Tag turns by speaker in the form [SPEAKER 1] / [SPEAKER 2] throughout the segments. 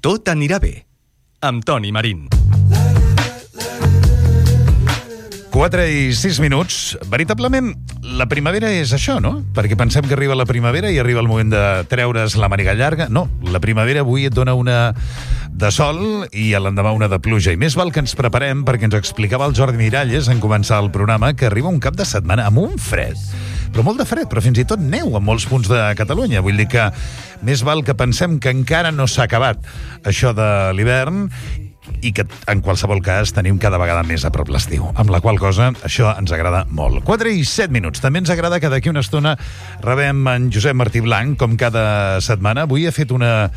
[SPEAKER 1] Tot anirà bé, amb Toni Marín.
[SPEAKER 2] 4 i 6 minuts. Veritablement, la primavera és això, no? Perquè pensem que arriba la primavera i arriba el moment de treure's la màniga llarga. No, la primavera avui et dona una de sol i a l'endemà una de pluja. I més val que ens preparem, perquè ens explicava el Jordi Miralles en començar el programa, que arriba un cap de setmana amb un fred. Però molt de fred, però fins i tot neu en molts punts de Catalunya. Vull dir que més val que pensem que encara no s'ha acabat això de l'hivern i que, en qualsevol cas, tenim cada vegada més a prop l'estiu. Amb la qual cosa, això ens agrada molt. 4 i 7 minuts. També ens agrada que d'aquí una estona rebem en Josep Martí Blanc, com cada setmana. Avui ha fet una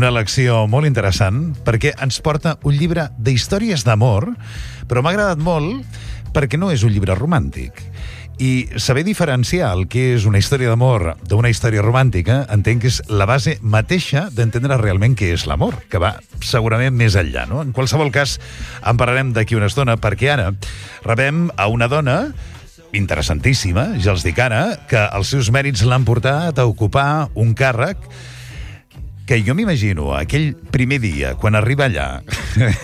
[SPEAKER 2] elecció molt interessant, perquè ens porta un llibre d'històries d'amor, però m'ha agradat molt perquè no és un llibre romàntic. I saber diferenciar el que és una història d'amor d'una història romàntica entenc que és la base mateixa d'entendre realment què és l'amor, que va segurament més enllà, no? En qualsevol cas, en parlarem d'aquí una estona, perquè ara rebem a una dona interessantíssima, ja els dic ara, que els seus mèrits l'han portat a ocupar un càrrec que jo m'imagino aquell primer dia, quan arriba allà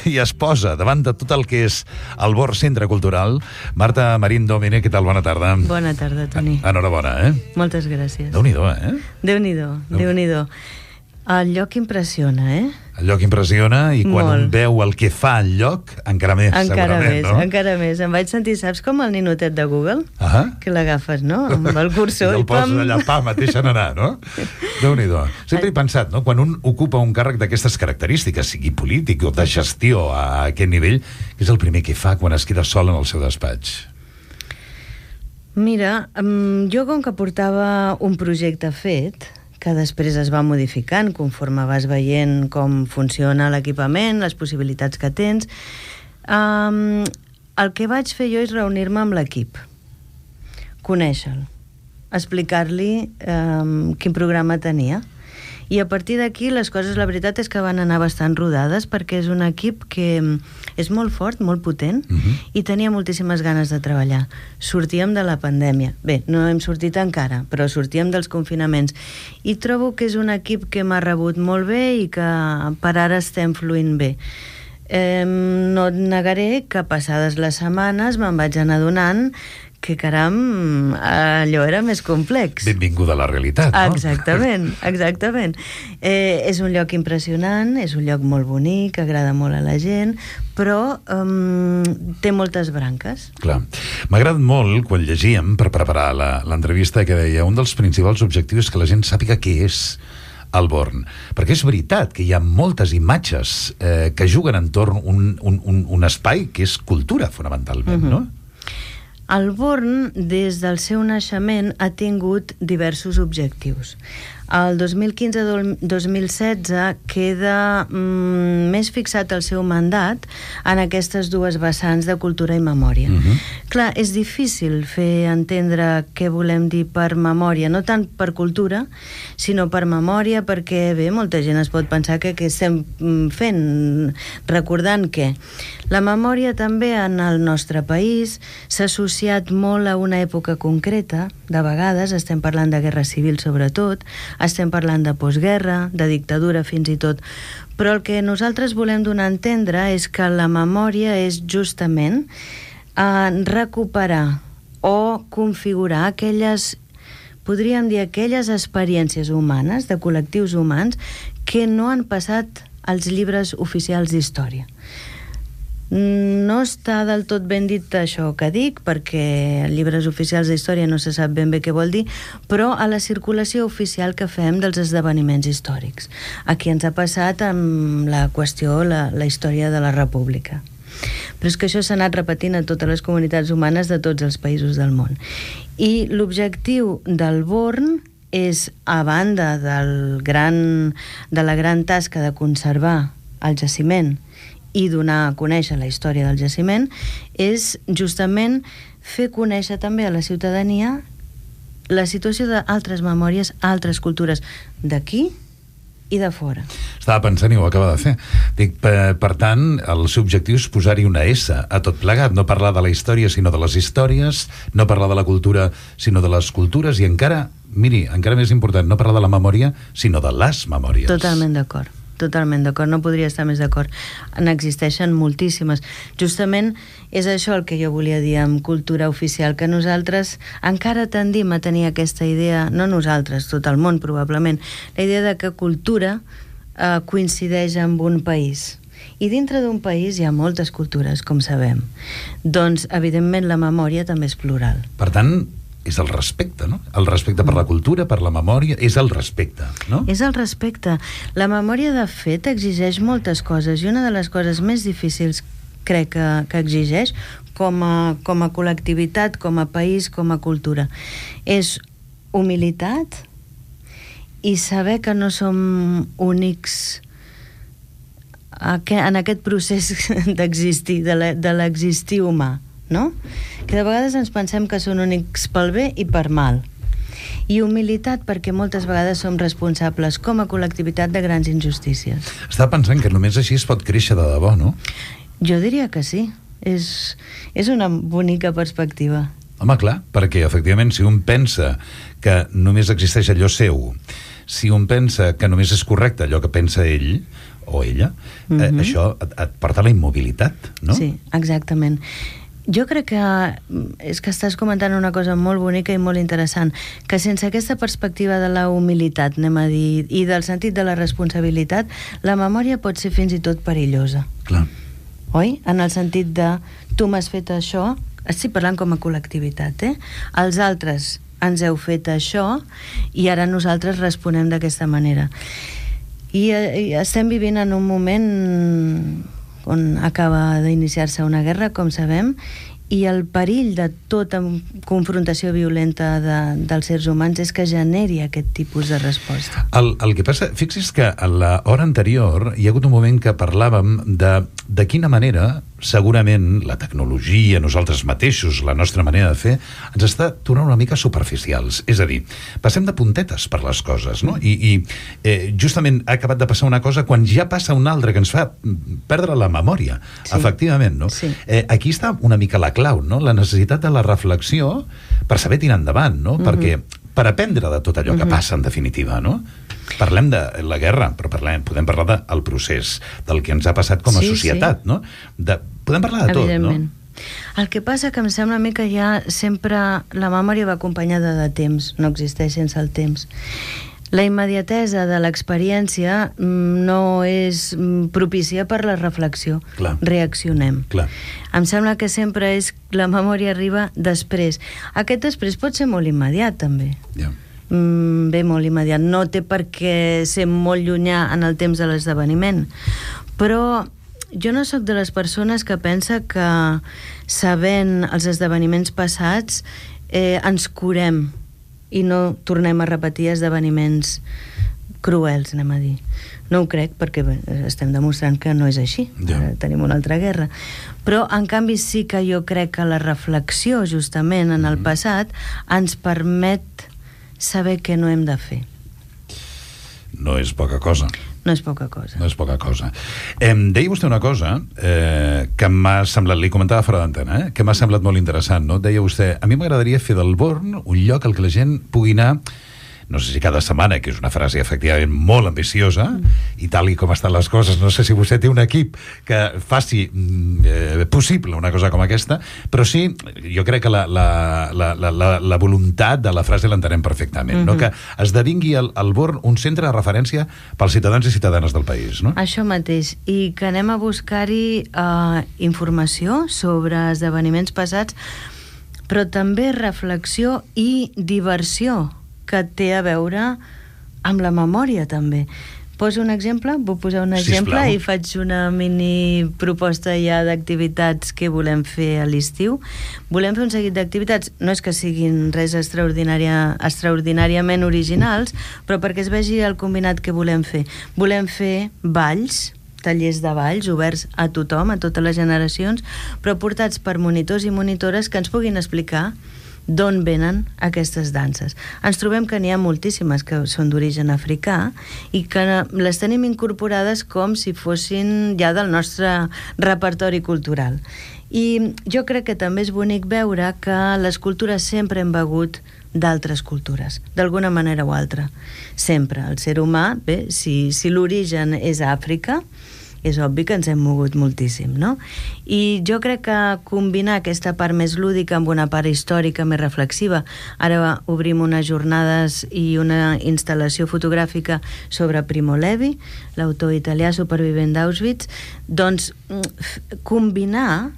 [SPEAKER 2] i es posa davant de tot el que és el Born Centre Cultural. Marta Marín Domine, què tal? Bona tarda.
[SPEAKER 3] Bona tarda, Toni.
[SPEAKER 2] Enhorabona,
[SPEAKER 3] Moltes gràcies.
[SPEAKER 2] Déu-n'hi-do,
[SPEAKER 3] Déu-n'hi-do. El lloc impressiona,
[SPEAKER 2] El lloc impressiona i quan un veu el que fa el lloc, encara més, segurament, no?
[SPEAKER 3] Encara més. Em vaig sentir, saps com el ninotet de Google? Que l'agafes, no? Amb el cursor.
[SPEAKER 2] I el poses allà, et deixen anar, no? Déu-n'hi-do. Sempre he pensat, no? Quan un ocupa un càrrec d'aquestes característiques, sigui polític o de gestió a aquest nivell, què és el primer que fa quan es queda sol en el seu despatx?
[SPEAKER 3] Mira, jo com que portava un projecte fet, que després es va modificant conforme vas veient com funciona l'equipament, les possibilitats que tens. El que vaig fer jo és reunir-me amb l'equip, conèixer-lo, explicar-li quin programa tenia. I a partir d'aquí les coses, la veritat és que van anar bastant rodades, perquè és un equip que és molt fort, molt potent, i tenia moltíssimes ganes de treballar. Sortíem de la pandèmia. Bé, no hem sortit encara, però sortíem dels confinaments. I trobo que és un equip que m'ha rebut molt bé i que per ara estem fluint bé. No et negaré que passades les setmanes me'n vaig anar adonant que, caram, allò era més complex.
[SPEAKER 2] Benvinguda a la realitat, no?
[SPEAKER 3] Exactament. És un lloc impressionant, és un lloc molt bonic, agrada molt a la gent, però té moltes branques.
[SPEAKER 2] Clar. M'ha agradat molt, quan llegíem, per preparar l'entrevista, que deia un dels principals objectius és que la gent sàpiga què és el Born. Perquè és veritat que hi ha moltes imatges que juguen entorn un espai que és cultura, fonamentalment, no?
[SPEAKER 3] El Born, des del seu naixement, ha tingut diversos objectius. El 2015-2016 queda més fixat el seu mandat en aquestes dues vessants de cultura i memòria. Clar, és difícil fer entendre què volem dir per memòria, no tant per cultura, sinó per memòria, perquè, bé, molta gent es pot pensar que estem fent, recordant que la memòria també en el nostre país s'ha associat molt a una època concreta, de vegades, estem parlant de guerra civil sobretot, estem parlant de postguerra, de dictadura fins i tot, però el que nosaltres volem donar a entendre és que la memòria és justament recuperar o configurar aquelles, podríem dir, aquelles experiències humanes, de col·lectius humans, que no han passat als llibres oficials d'història. No està del tot ben dit això que dic, perquè llibres oficials d'història no se sap ben bé què vol dir, però a la circulació oficial que fem dels esdeveniments històrics. Aquí ens ha passat amb la qüestió, la història de la República. Però és que això s'ha anat repetint a totes les comunitats humanes de tots els països del món. I l'objectiu del Born és, a banda de la gran tasca de conservar el jaciment i donar a conèixer la història del jaciment, és justament fer conèixer també a la ciutadania la situació d'altres memòries, altres cultures d'aquí i de fora.
[SPEAKER 2] Estava pensant i ho acaba de fer. Dic, per tant, el seu objectiu és posar-hi una S a tot plegat, no parlar de la història sinó de les històries, no parlar de la cultura sinó de les cultures, i encara, miri, encara més important, no parlar de la memòria sinó de les memòries.
[SPEAKER 3] Totalment d'acord. totalment d'acord, no podria estar més d'acord. N'existeixen moltíssimes. Justament és això el que jo volia dir amb cultura oficial, que nosaltres encara tendim a tenir aquesta idea, no nosaltres, tot el món probablement, la idea de que cultura coincideix amb un país. I dintre d'un país hi ha moltes cultures, com sabem. Doncs, evidentment, la memòria també és plural.
[SPEAKER 2] Per tant, és el respecte, no? El respecte per la cultura, per la memòria, és el respecte, no?
[SPEAKER 3] És el respecte. La memòria, de fet, exigeix moltes coses, i una de les coses més difícils, crec que exigeix, com a col·lectivitat, com a país, com a cultura, és humilitat i saber que no som únics en aquest procés d'existir, de l'existir humà, no? Que de vegades ens pensem que són únics pel bé i per mal. I humilitat perquè moltes vegades som responsables com a col·lectivitat de grans injustícies.
[SPEAKER 2] Estava pensant que només així es pot créixer de debò, no?
[SPEAKER 3] Jo diria que sí. És una bonica perspectiva.
[SPEAKER 2] Home, clar, perquè efectivament si un pensa que només existeix allò seu, si un pensa que només és correcte allò que pensa ell o ella, això et porta a la immobilitat, no?
[SPEAKER 3] Sí, exactament. Jo crec que és que estàs comentant una cosa molt bonica i molt interessant, que sense aquesta perspectiva de la humilitat, anem a dir, i del sentit de la responsabilitat, la memòria pot ser fins i tot perillosa.
[SPEAKER 2] Clar.
[SPEAKER 3] Oi? En el sentit de tu m'has fet això, estic parlant com a col·lectivitat, els altres ens heu fet això i ara nosaltres responem d'aquesta manera. I estem vivint en un moment on acaba d'iniciar-se una guerra, com sabem, i el perill de tota confrontació violenta dels éssers humans és que generi aquest tipus de resposta.
[SPEAKER 2] El que passa, fixi's que a l'hora anterior hi ha hagut un moment que parlàvem de quina manera segurament la tecnologia, nosaltres mateixos, la nostra manera de fer, ens està tornant una mica superficials. És a dir, passem de puntetes per les coses, no? I justament ha acabat de passar una cosa quan ja passa una altra que ens fa perdre la memòria, sí. Efectivament, no?
[SPEAKER 3] Sí.
[SPEAKER 2] Aquí està una mica la clau, no? La necessitat de la reflexió per saber tirar endavant, no? Perquè per aprendre de tot allò que passa, en definitiva, no? Parlem de la guerra, però podem parlar del procés, del que ens ha passat com a societat, no? Podem parlar de tot, no?
[SPEAKER 3] El que passa que em sembla a mi que ja sempre la memòria va acompanyada de temps, no existeix sense el temps. La immediatesa de l'experiència no és propícia per la reflexió.
[SPEAKER 2] Clar.
[SPEAKER 3] Reaccionem.
[SPEAKER 2] Clar.
[SPEAKER 3] Em sembla que sempre la memòria arriba després. Aquest després pot ser molt immediat, també.
[SPEAKER 2] Ja.
[SPEAKER 3] Bé, molt immediat. No té per què ser molt llunyà en el temps de l'esdeveniment. Però jo no sóc de les persones que pensa que sabent els esdeveniments passats ens curem i no tornem a repetir esdeveniments cruels, anem a dir. No ho crec, perquè estem demostrant que no és així.
[SPEAKER 2] Ja.
[SPEAKER 3] Tenim una altra guerra. Però, en canvi, sí que jo crec que la reflexió, justament, en el passat, ens permet saber què no hem de fer.
[SPEAKER 2] No és poca cosa.
[SPEAKER 3] No és poca cosa.
[SPEAKER 2] No és poca cosa. Deia vostè una cosa que m'ha semblat, li comentava fora d'antena, que m'ha semblat molt interessant, no? Deia vostè, a mi m'agradaria fer del Born un lloc al que la gent pugui anar, no sé si cada setmana, que és una frase efectivament molt ambiciosa, i tal i com estan les coses, no sé si vostè té un equip que faci possible una cosa com aquesta, però sí, jo crec que la voluntat de la frase l'entenem perfectament, no? Que esdevingui el Born un centre de referència pels ciutadans i ciutadanes del país, no?
[SPEAKER 3] Això mateix, i que anem a buscar-hi informació sobre esdeveniments passats, però també reflexió i diversió, que té a veure amb la memòria, també. Poso un exemple, vull posar un exemple i faig una mini proposta ja d'activitats que volem fer a l'estiu. Volem fer un seguit d'activitats, no és que siguin res extraordinàriament originals, però perquè es vegi el combinat que volem fer. Volem fer balls, tallers de balls oberts a tothom, a totes les generacions, però portats per monitors i monitores que ens puguin explicar d'on venen aquestes danses. Ens trobem que n'hi ha moltíssimes que són d'origen africà i que les tenim incorporades com si fossin ja del nostre repertori cultural. I jo crec que també és bonic veure que les cultures sempre hem begut d'altres cultures, d'alguna manera o altra. Sempre. El ser humà, bé, si l'origen és Àfrica, és obvi que ens hem mogut moltíssim, no? I jo crec que combinar aquesta part més lúdica amb una part històrica més reflexiva, ara obrim unes jornades i una instal·lació fotogràfica sobre Primo Levi, l'autor italià supervivent d'Auschwitz, doncs combinar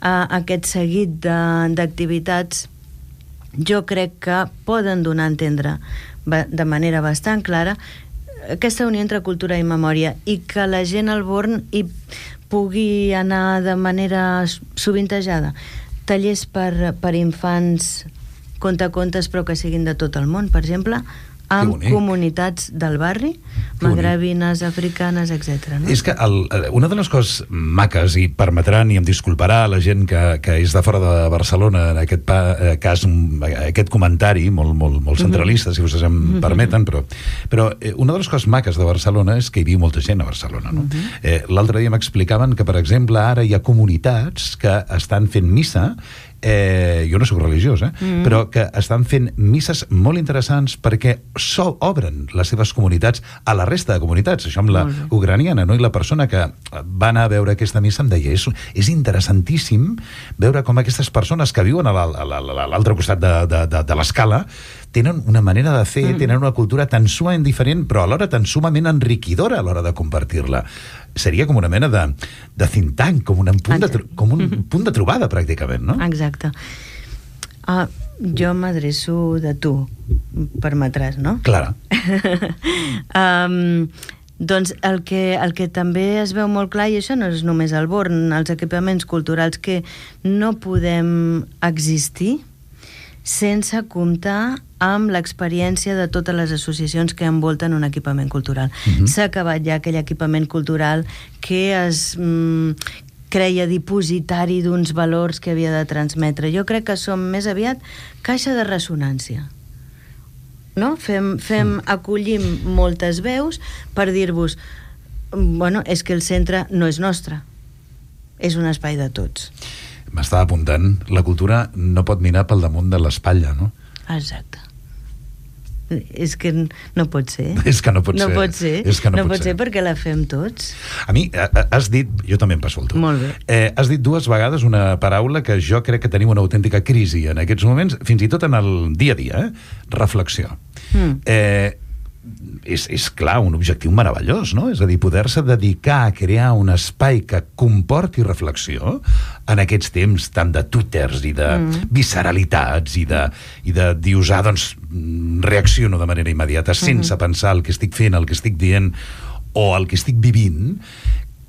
[SPEAKER 3] aquest seguit d'activitats jo crec que poden donar a entendre de manera bastant clara aquesta unió entre cultura i memòria, i que la gent al Born hi pugui anar de manera sovintejada. Tallers per infants, contacontes, però que siguin de tot el món, per exemple, amb comunitats del barri, magrebines, africanes, etc.
[SPEAKER 2] És que una de les coses maques, i permetran i em disculparà la gent que és de fora de Barcelona, en aquest cas, aquest comentari molt centralista, si vostès em permeten, però una de les coses maques de Barcelona és que hi viu molta gent a Barcelona. L'altre dia m'explicaven que, per exemple, ara hi ha comunitats que estan fent missa, jo no soc religiós, però que estan fent misses molt interessants perquè obren les seves comunitats a la resta de comunitats. Això amb la ucraniana, no? I la persona que va anar a veure aquesta missa em deia, és interessantíssim veure com aquestes persones que viuen a l'altre costat de l'escala tenen una manera de fer, tenen una cultura tan sumament diferent, però alhora tan sumament enriquidora a l'hora de compartir-la. Seria com una mena de think tank, com un punt de trobada, pràcticament, no?
[SPEAKER 3] Exacte. Jo m'adreço de tu, permetràs, no?
[SPEAKER 2] Clar.
[SPEAKER 3] Doncs el que també es veu molt clar, i això no és només el Born, els equipaments culturals, que no podem existir sense comptar amb l'experiència de totes les associacions que envolten un equipament cultural. S'ha acabat ja aquell equipament cultural que es creia dipositari d'uns valors que havia de transmetre. Jo crec que som més aviat caixa de ressonància. No? Acollim moltes veus per dir-vos, bueno, és que el centre no és nostre, és un espai de tots.
[SPEAKER 2] M'estava apuntant, la cultura no pot mirar pel damunt de l'espatlla, no?
[SPEAKER 3] Exacte. És que no pot ser.
[SPEAKER 2] És que no pot ser.
[SPEAKER 3] No pot ser. No pot ser perquè la fem tots.
[SPEAKER 2] A mi, has dit, jo també em passo el tu.
[SPEAKER 3] Molt bé.
[SPEAKER 2] Has dit dues vegades una paraula que jo crec que tenim una autèntica crisi en aquests moments, fins i tot en el dia a dia, reflexió. És clar, un objectiu meravellós, no? És a dir, poder-se dedicar a crear un espai que comporti reflexió en aquests temps tant de twitters i de visceralitats i de usar, doncs, reacciono de manera immediata sense pensar el que estic fent, el que estic dient o el que estic vivint,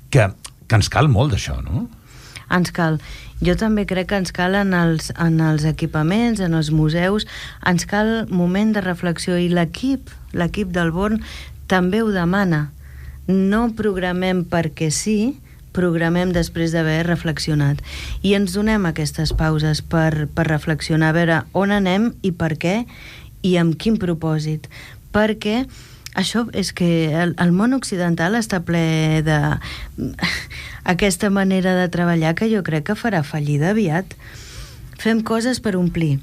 [SPEAKER 2] que ens cal molt d'això, no?
[SPEAKER 3] Ens cal. Jo també crec que ens cal en els equipaments, en els museus, ens cal moment de reflexió, i l'equip del Born també ho demana. No programem perquè sí, programem després d'haver reflexionat. I ens donem aquestes pauses per reflexionar, a veure on anem i per què i amb quin propòsit. Perquè això és que el món occidental està ple de aquesta manera de treballar que jo crec que farà fallida aviat. Fem coses per omplir.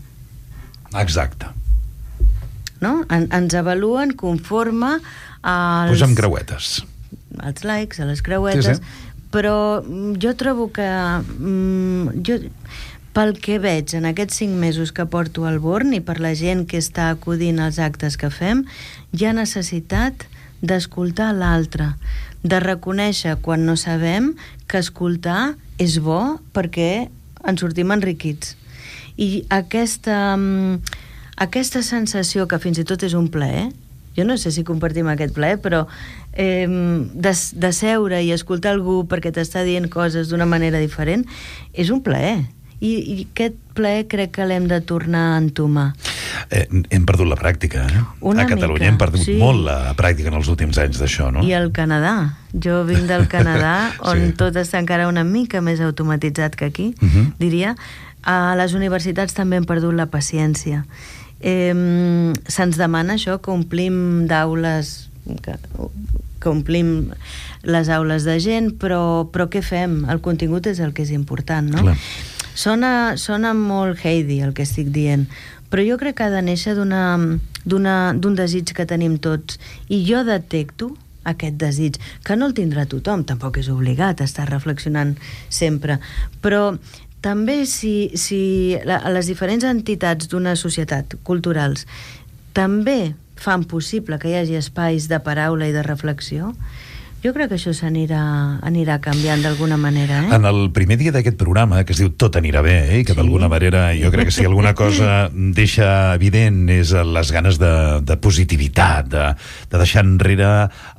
[SPEAKER 2] Exacte.
[SPEAKER 3] No? Ens avaluen conforme als...
[SPEAKER 2] Posem creuetes.
[SPEAKER 3] Als likes, a les creuetes. Sí. Però jo trobo que... pel que veig en aquests 5 mesos que porto al Born i per la gent que està acudint als actes que fem, hi ha necessitat d'escoltar l'altre, de reconèixer quan no sabem que escoltar és bo perquè ens sortim enriquits. I aquesta sensació, que fins i tot és un plaer, jo no sé si compartim aquest plaer, però de seure i escoltar algú perquè t'està dient coses d'una manera diferent, és un plaer. I aquest plaer crec que l'hem de tornar a entomar.
[SPEAKER 2] Hem perdut la pràctica,
[SPEAKER 3] Una
[SPEAKER 2] a Catalunya
[SPEAKER 3] mica,
[SPEAKER 2] hem perdut molt la pràctica en els últims anys d'això, no?
[SPEAKER 3] I al Canadà. Jo vinc del Canadà, on tot està encara una mica més automatitzat que aquí, diria. A les universitats també hem perdut la paciència. Se'ns demana això, que omplim d'aules, que omplim les aules de gent, però què fem? El contingut és el que és important, no?
[SPEAKER 2] Clar.
[SPEAKER 3] Sona molt Heidi el que estic dient, però jo crec que ha de néixer d'un desig que tenim tots, i jo detecto aquest desig, que no el tindrà tothom, tampoc és obligat a estar reflexionant sempre, però també si les diferents entitats d'una societat, culturals, també fan possible que hi hagi espais de paraula i de reflexió, jo crec que això anirà canviant d'alguna manera.
[SPEAKER 2] En el primer dia d'aquest programa, que es diu Tot anirà bé, i que d'alguna manera jo crec que si alguna cosa deixa evident és les ganes de positivitat, de deixar enrere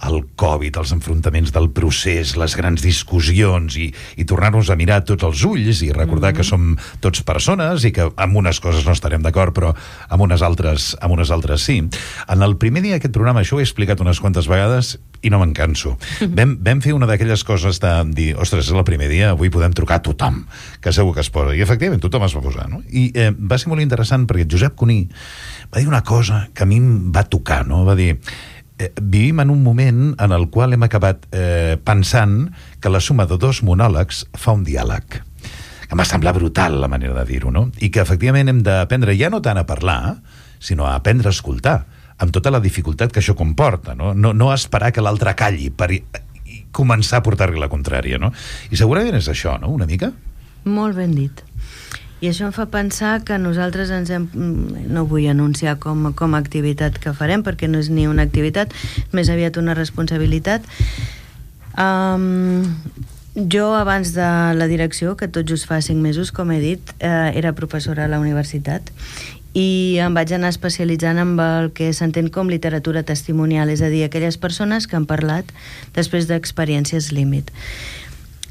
[SPEAKER 2] el Covid, els enfrontaments del procés, les grans discussions, i tornar-nos a mirar tots els ulls i recordar que som tots persones i que amb unes coses no estarem d'acord, però amb unes altres sí. En el primer dia d'aquest programa, això ho he explicat unes quantes vegades i no me'n canso. Vam fer una d'aquelles coses de dir, ostres, és el primer dia, avui podem trucar a tothom, que segur que es posa. I efectivament, tothom es va posar, no? I va ser molt interessant perquè Josep Cuní va dir una cosa que a mi em va tocar, no? Va dir, vivim en un moment en el qual hem acabat pensant que la suma de dos monòlegs fa un diàleg. Em va semblar brutal la manera de dir-ho, no? I que efectivament hem d'aprendre ja no tant a parlar, sinó a aprendre a escoltar, amb tota la dificultat que això comporta, no? No esperar que l'altre calli per començar a portar-li la contrària, no? I segurament és això, no?, una mica?
[SPEAKER 3] Molt ben dit. I això em fa pensar que nosaltres no vull anunciar com a activitat que farem, perquè no és ni una activitat, més aviat una responsabilitat. Jo, abans de la direcció, que tot just fa 5 mesos, com he dit, era professora a la universitat, i em vaig anar especialitzant amb el que s'entén com literatura testimonial, és a dir, aquelles persones que han parlat després d'experiències límit.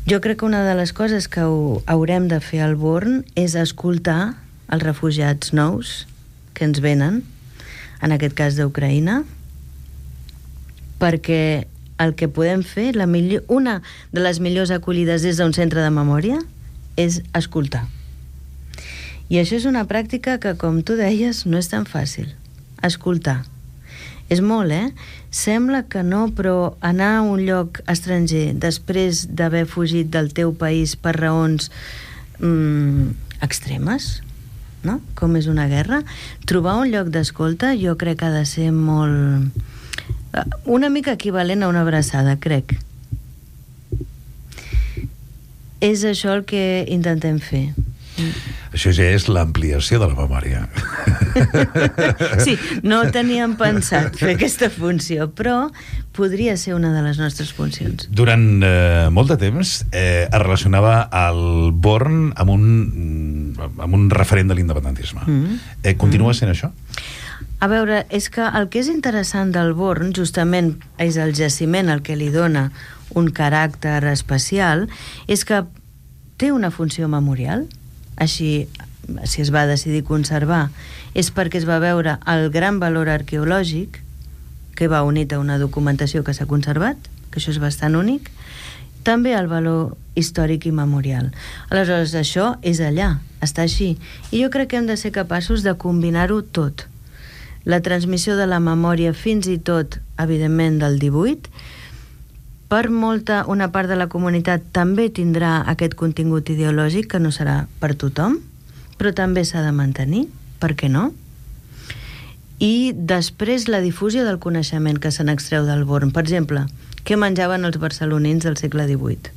[SPEAKER 3] Jo crec que una de les coses que haurem de fer al Born és escoltar els refugiats nous que ens venen, en aquest cas d'Ucraïna, perquè el que podem fer, una de les millors acollides des d'un centre de memòria, és escoltar. I això és una pràctica que, com tu deies, no és tan fàcil. Escoltar. És molt, Sembla que no, però anar a un lloc estranger després d'haver fugit del teu país per raons extremes, no? Com és una guerra, trobar un lloc d'escolta jo crec que ha de ser molt... una mica equivalent a una abraçada, crec. És això el que intentem fer.
[SPEAKER 2] Això ja és l'ampliació de la memòria.
[SPEAKER 3] Sí, no teníem pensat fer aquesta funció, però podria ser una de les nostres funcions.
[SPEAKER 2] Durant molt de temps es relacionava el Born amb un referent de l'independentisme. Continua sent això?
[SPEAKER 3] A veure, és que el que és interessant del Born, justament és el jaciment el que li dona un caràcter especial, és que té una funció memorial. Així, si es va decidir conservar, és perquè es va veure el gran valor arqueològic que va unit a una documentació que s'ha conservat, que això és bastant únic, també el valor històric i memorial. Aleshores, això és allà, està així. I jo crec que hem de ser capaços de combinar-ho tot. La transmissió de la memòria fins i tot, evidentment, del 18, per una part de la comunitat també tindrà aquest contingut ideològic que no serà per tothom, però també s'ha de mantenir, per què no? I després la difusió del coneixement que se n'extreu del Born. Per exemple, què menjaven els barcelonins del segle XVIII?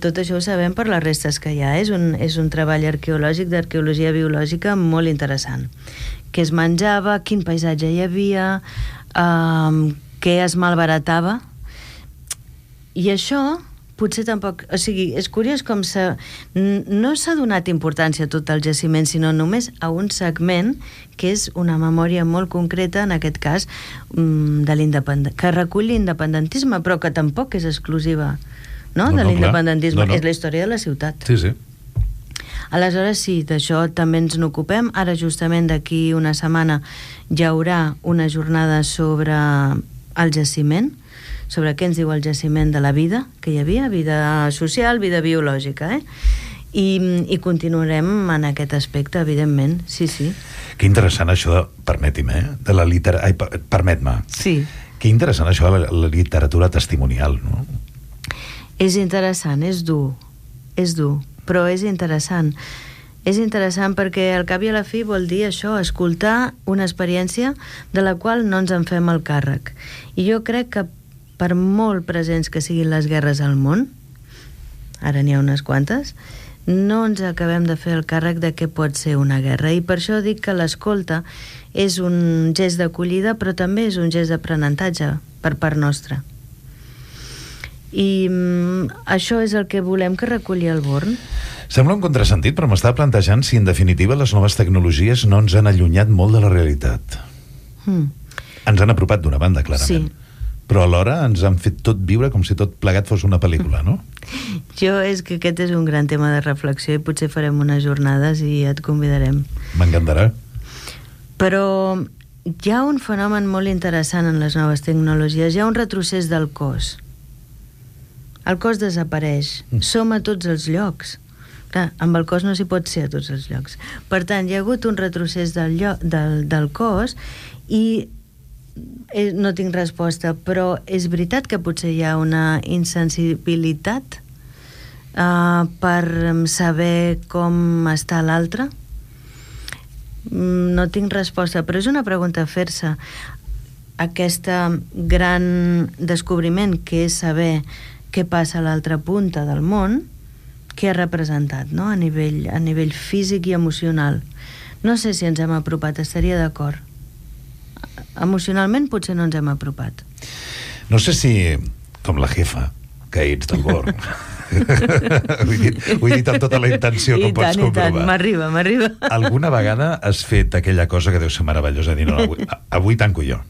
[SPEAKER 3] Tot això ho sabem per les restes que hi ha. És un treball arqueològic d'arqueologia biològica molt interessant. Què es menjava, quin paisatge hi havia, què es malbaratava. I això potser tampoc... O sigui, és curiós com no s'ha donat importància a tot el jaciment, sinó només a un segment que és una memòria molt concreta, en aquest cas, que recull l'independentisme, però que tampoc és exclusiva, no, de l'independentisme. No. És la història de la ciutat.
[SPEAKER 2] Sí, sí.
[SPEAKER 3] Aleshores, sí, d'això també ens n'ocupem. Ara, justament, d'aquí una setmana hi haurà una jornada sobre el jaciment, sobre què ens diu el jaciment de la vida que hi havia, vida social, vida biològica, I continuarem en aquest aspecte, evidentment, sí.
[SPEAKER 2] Que interessant això, permeti'm, de la literatura... Permet-me.
[SPEAKER 3] Sí.
[SPEAKER 2] Que interessant això de la literatura testimonial, no?
[SPEAKER 3] És interessant, és dur. però és interessant. És interessant perquè al cap i a la fi vol dir això, escoltar una experiència de la qual no ens en fem el càrrec. I jo crec que per molt presents que siguin les guerres al món, ara n'hi ha unes quantes, no ens acabem de fer el càrrec de què pot ser una guerra. I per això dic que l'escolta és un gest d'acollida, però també és un gest d'aprenentatge per part nostra. I això és el que volem que reculli el Born.
[SPEAKER 2] Sembla un contrasentit, però m'estava plantejant si en definitiva les noves tecnologies no ens han allunyat molt de la realitat. Ens han apropat d'una banda, clarament. Sí. Però alhora ens han fet tot viure com si tot plegat fos una pel·lícula, no?
[SPEAKER 3] És que aquest és un gran tema de reflexió i potser farem unes jornades i et convidarem.
[SPEAKER 2] M'encantarà.
[SPEAKER 3] Però hi ha un fenomen molt interessant en les noves tecnologies. Hi ha un retrocés del cos. El cos desapareix. Som a tots els llocs. Clar, amb el cos no s'hi pot ser a tots els llocs. Per tant, hi ha hagut un retrocés del cos i no tinc resposta, però és veritat que potser hi ha una insensibilitat per saber com està l'altre? No tinc resposta, però és una pregunta a fer-se. Aquesta gran descobriment que és saber què passa a l'altra punta del món, què ha representat, no? a nivell físic i emocional. No sé si ens hem apropat, estaria d'acord. Emocionalment potser no ens hem apropat.
[SPEAKER 2] No sé si, com la jefa, que ets del Born. ho he dit amb tota la intenció, com pots comprovar.
[SPEAKER 3] I tant, m'arriba.
[SPEAKER 2] Alguna vegada has fet aquella cosa que deu ser meravellosa, dir, no, avui tanco jo,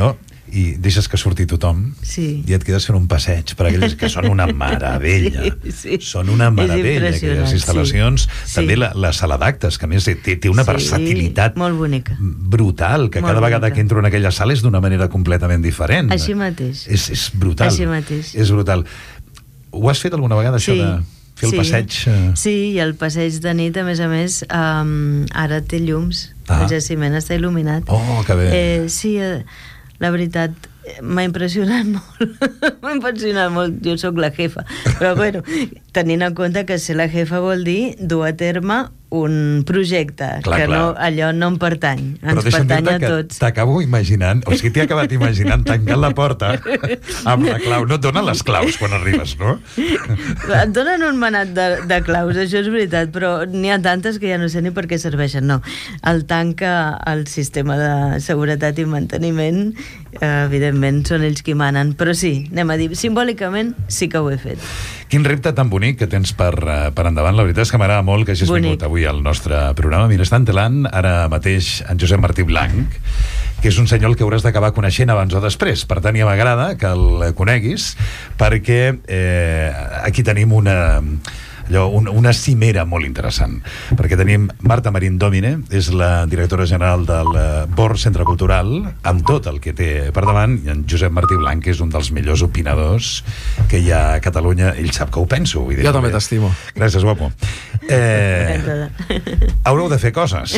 [SPEAKER 2] no? I deixes que surti tothom,
[SPEAKER 3] sí.
[SPEAKER 2] I et quedes fent un passeig per aquelles que són una meravella.
[SPEAKER 3] Sí.
[SPEAKER 2] Són una meravella, aquelles instal·lacions. Sí. També la sala d'actes, que a més té una versatilitat
[SPEAKER 3] molt bonica,
[SPEAKER 2] brutal, que cada vegada que entro en aquella sala és d'una manera completament diferent.
[SPEAKER 3] Així mateix.
[SPEAKER 2] És brutal.
[SPEAKER 3] Així mateix.
[SPEAKER 2] És brutal. Ho has fet alguna vegada, això de fer el passeig?
[SPEAKER 3] Sí, i el passeig de nit, a més, ara té llums. El jaciment està il·luminat.
[SPEAKER 2] Oh, que bé.
[SPEAKER 3] Sí, la veritat, m'ha impressionat molt. Jo sóc la jefa, però bueno, tenint en compte que ser la jefa vol dir dur a terme un projecte, clar. No, allò no em pertany, ens pertany a tots.
[SPEAKER 2] T'acabo imaginant, o sigui, t'he acabat imaginant tancant la porta amb la clau. No et donen les claus quan arribes, no?
[SPEAKER 3] Et donen un manat de claus, això és veritat, però n'hi ha tantes que ja no sé ni per què serveixen, no. El tanca el sistema de seguretat i manteniment, evidentment són ells qui manen, però sí, anem a dir, simbòlicament sí que ho he fet.
[SPEAKER 2] Quin repte tan bonic que tens per endavant. La veritat és que m'agrada molt que hagis vingut avui al nostre programa. Mira, està entelant ara mateix en Josep Martí Blanc, que és un senyor que hauràs d'acabar coneixent abans o després. Per tant, ja m'agrada que el coneguis, perquè aquí tenim una cimera molt interessant, perquè tenim Marta Marín Domine, és la directora general del Born Centre Cultural, amb tot el que té per davant, i en Josep Martí Blanc, que és un dels millors opinadors que hi ha a Catalunya. Ell sap que ho penso. Vull dir,
[SPEAKER 4] jo també t'estimo.
[SPEAKER 2] Gràcies, guapo. Haureu de fer coses.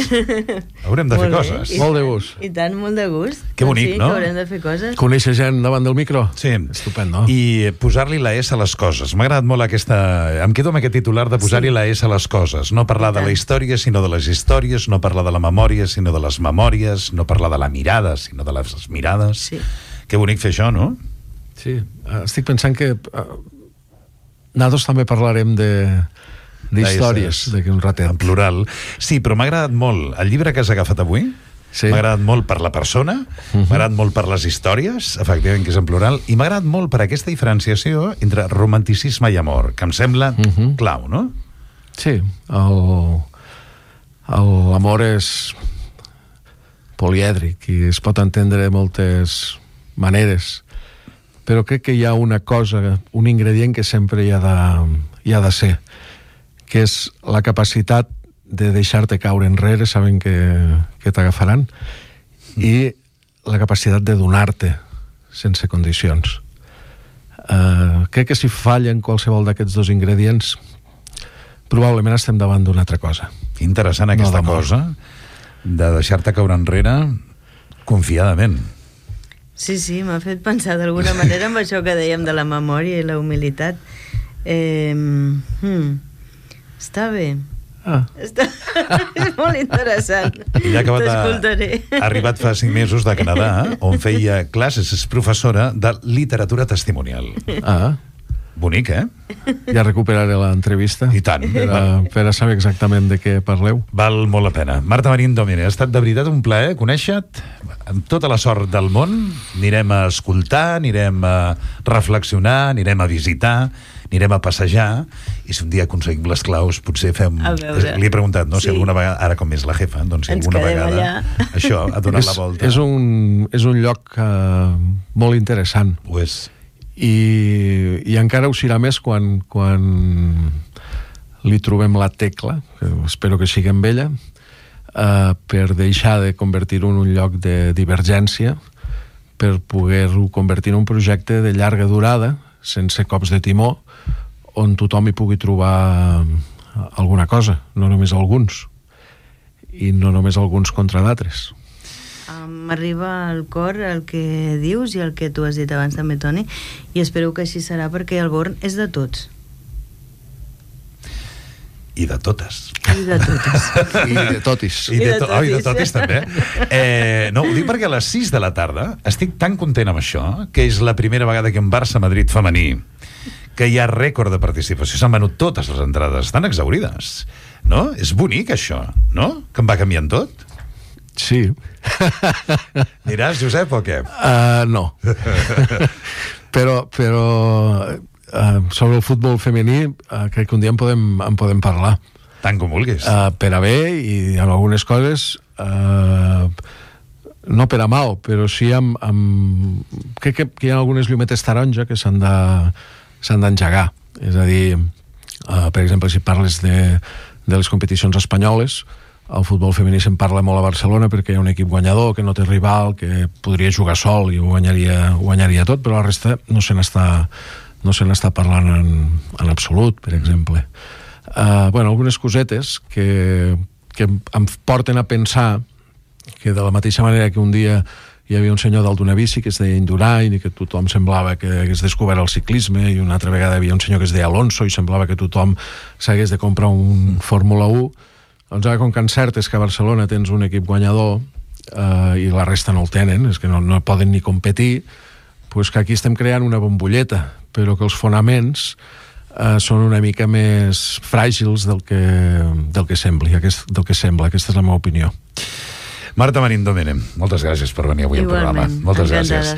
[SPEAKER 2] Haurem de fer coses.
[SPEAKER 4] Molt de gust.
[SPEAKER 3] I tant, molt de gust.
[SPEAKER 2] Que bonic, no?
[SPEAKER 3] Que haurem de fer coses.
[SPEAKER 4] Conèixer gent davant del micro?
[SPEAKER 2] Sí.
[SPEAKER 4] Estupendo.
[SPEAKER 2] I posar-li la S a les coses. M'ha agradat molt aquesta... Em quedo amb aquest titular de posar-hi la S a les coses. No parlar de la història, sinó de les històries, no parlar de la memòria, sinó de les memòries, no parlar de la mirada, sinó de les mirades.
[SPEAKER 3] Sí.
[SPEAKER 2] Que bonic fer això, no?
[SPEAKER 4] Sí. Estic pensant que nosaltres també parlarem d'històries d'aquí un ratet.
[SPEAKER 2] En plural. Sí, però m'ha agradat molt el llibre que has agafat avui. Sí. M'ha agradat molt per la persona, m'ha agradat molt per les històries, efectivament, que és en plural, i m'ha agradat molt per aquesta diferenciació entre romanticisme i amor, que em sembla clau, no?
[SPEAKER 4] Sí, l'amor és polièdric i es pot entendre de moltes maneres, però crec que hi ha una cosa, un ingredient que sempre hi ha de ser, que és la capacitat de deixar-te caure enrere sabent que t'agafaran, i la capacitat de donar-te sense condicions. Crec que si fallen qualsevol d'aquests dos ingredients, probablement estem davant d'una altra cosa.
[SPEAKER 2] Interessant aquesta cosa de deixar-te caure enrere confiadament.
[SPEAKER 3] Sí, m'ha fet pensar d'alguna manera amb això que dèiem de la memòria i la humilitat. Està bé. És molt interessant.
[SPEAKER 2] Ella ha arribat fa 5 mesos de Canadà, on feia classes, és professora de literatura testimonial. Bonic,
[SPEAKER 4] Ja recuperaré l'entrevista.
[SPEAKER 2] I tant.
[SPEAKER 4] Per a saber exactament de què parleu.
[SPEAKER 2] Val molt la pena. Marta Marín Domènech, ha estat de veritat un plaer conèixer-te, amb tota la sort del món. Anirem a escoltar, anirem a reflexionar, anirem a visitar, anirem a passejar, i si un dia aconseguim les claus, potser fem... Li he preguntat, no? Si alguna vegada, ara com és la jefa, doncs si alguna vegada això, ha donat la volta.
[SPEAKER 4] És un lloc molt interessant.
[SPEAKER 2] Ho és.
[SPEAKER 4] I encara ho serà més quan li trobem la tecla, que espero que sigui amb ella, per deixar de convertir-ho en un lloc de divergència, per poder-ho convertir en un projecte de llarga durada, sense cops de timó, on tothom hi pugui trobar alguna cosa, no només alguns, i no només alguns contra d'altres.
[SPEAKER 3] M'arriba al cor el que dius i el que tu has dit abans també, Toni, i espero que així serà, perquè el Born és de tots.
[SPEAKER 2] I de totes.
[SPEAKER 3] I de totes.
[SPEAKER 4] I de totis.
[SPEAKER 2] I de totis també. No, ho dic perquè a les 6 de la tarda estic tan content amb això, que és la primera vegada que en Barça-Madrid femení, que hi ha rècord de participació, s'han venut totes les entrades, estan exaurides, no? És bonic això, no? Que em va canviant tot.
[SPEAKER 4] Sí.
[SPEAKER 2] Aniràs, Josep, o què?
[SPEAKER 4] No. però sobre el futbol femení crec que un dia en podem parlar.
[SPEAKER 2] Tant com vulguis.
[SPEAKER 4] Per a bé i amb algunes coses no per a mal, però sí crec que hi ha algunes llumetes taronja que s'han d'engegar. És a dir, per exemple, si parles de les competicions espanyoles, el futbol femení se'n parla molt a Barcelona perquè hi ha un equip guanyador, que no té rival, que podria jugar sol i ho guanyaria tot, però la resta no se n'està parlant en absolut, per exemple. Algunes cosetes que em porten a pensar que de la mateixa manera que un dia hi havia un senyor dalt d'una bici que es deia Indurain i que tothom semblava que hagués descobert el ciclisme, i una altra vegada hi havia un senyor que es deia Alonso i semblava que tothom s'hagués de comprar un Fórmula 1. Doncs ara, com que encertes que a Barcelona tens un equip guanyador i la resta no el tenen, és que no poden ni competir, doncs que aquí estem creant una bombolleta, però que els fonaments són una mica més fràgils del que sembla. Aquesta és la meva opinió.
[SPEAKER 2] Marta Marín Domènech, moltes gràcies per venir avui al programa. Moltes gràcies.